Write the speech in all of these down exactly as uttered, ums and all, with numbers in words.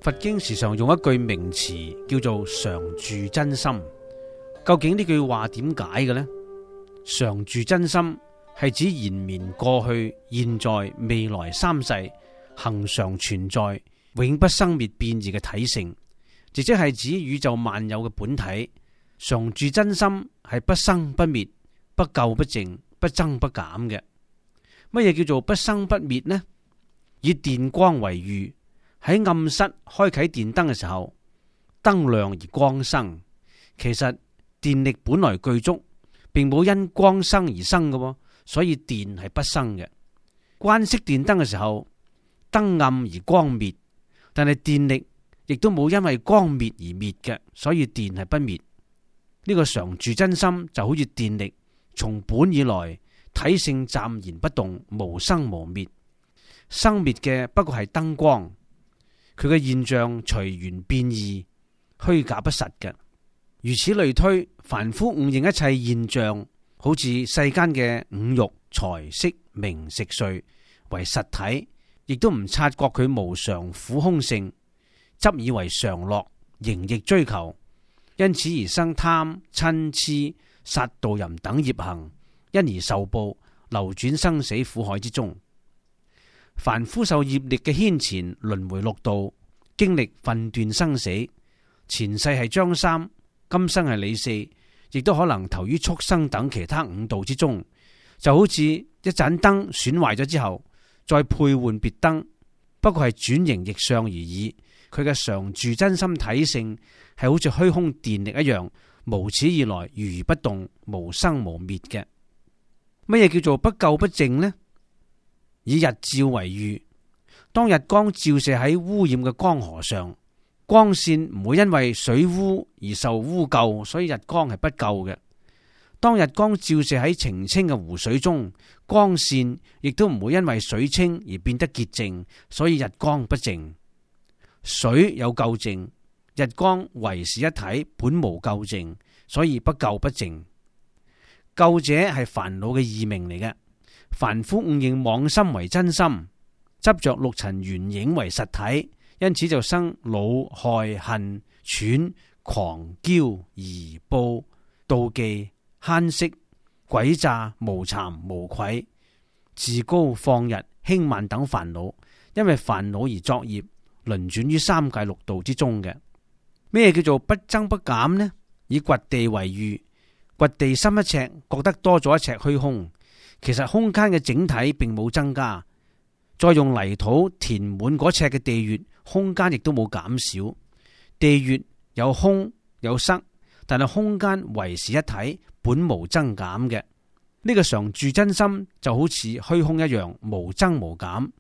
佛經時常用一句名詞叫做常住真心，究竟呢句話點解嘅呢？常住真心係指延綿過去、現在、未來三世恆常存在、永不生滅變異嘅體性，亦即係指宇宙萬有嘅本體。常住真心係不生不滅、不垢不淨、不增不減嘅。乜嘢叫做不生不滅呢？以電光為喻。喺暗室開啟電燈嘅時候，燈亮而光生。其實電力本來具足，並冇因光生而生嘅，所以電係不生嘅。關熄電燈嘅時候，燈暗而光滅，但係電力亦都冇因為光滅而滅嘅，所以電係不滅。呢個常住真心就好似電力，從本以來體性暫然不動，無生無滅，生滅嘅不過係燈光。佢嘅現象隨緣變異，虛假不實嘅。如此類推，凡夫誤認一切現象，好似世間嘅五欲、財、色、名、食、睡為實體，亦都唔察覺佢無常、苦、空性，執以為常樂，形亦追求，因此而生貪、嗔、癡、殺盜淫等業行，因而受報，流轉生死苦海之中。凡夫受業力嘅牽纏，輪迴六道，經歷分段生死。前世係張三，今生係李四，亦都可能投於畜生等其他五道之中。就好似一盞燈損壞咗之後，再配換別燈，不過係轉型逆相而已。佢嘅常住真心體性係好似虛空電力一樣，無始以來如如不動，無生無滅嘅。乜嘢叫做不垢不淨呢？以日照為喻，當日光照射喺污染嘅江河上，光線唔會因為水污而受污垢，所以日光係不垢嘅。當日光照射喺澄清嘅湖水中，光線亦都唔會因為水清而變得潔淨，所以日光不淨。水有垢淨，日光唯是一體，本無垢淨，所以不垢不淨。垢者係煩惱嘅異名嚟嘅。凡夫誤認妄心為真心，執着六塵緣影為實體，因此就生惱、害、恨、喘、狂、驕、疑、怖、妒忌、慳惜、詭詐、無慚、無愧、自高放逸、輕慢等煩惱，因為煩惱而作業，輪轉於三界六道之中嘅。咩叫做不增不減呢？以掘地為喻，掘地深一尺，覺得多咗一尺虛空。其實空間嘅整體並冇增加，再用泥土填滿嗰尺嘅地穴，空間亦都冇減少。地穴有空有塞，但係空間唯是一體，本無增減嘅。呢、這個常住真心就好似虛空一樣，無增無減。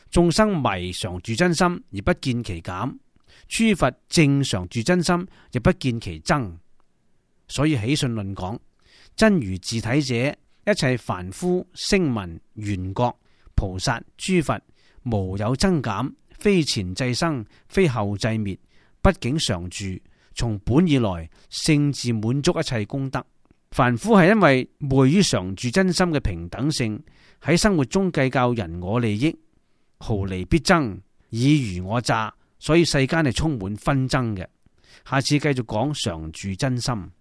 眾生迷常住真心而不見其減，諸佛正常住真心亦不見其增。所以起信論講，真如自體者，一切凡夫、聲聞、緣覺、菩薩、諸佛，無有增減，非前際生，非後際滅，畢竟常住，從本以來，性自滿足一切功德。凡夫係因為昧於常住真心嘅平等性，喺生活中計較人我利益，毫釐必爭，以虞我詐，所以世間係充滿紛爭嘅。下次繼續講常住真心。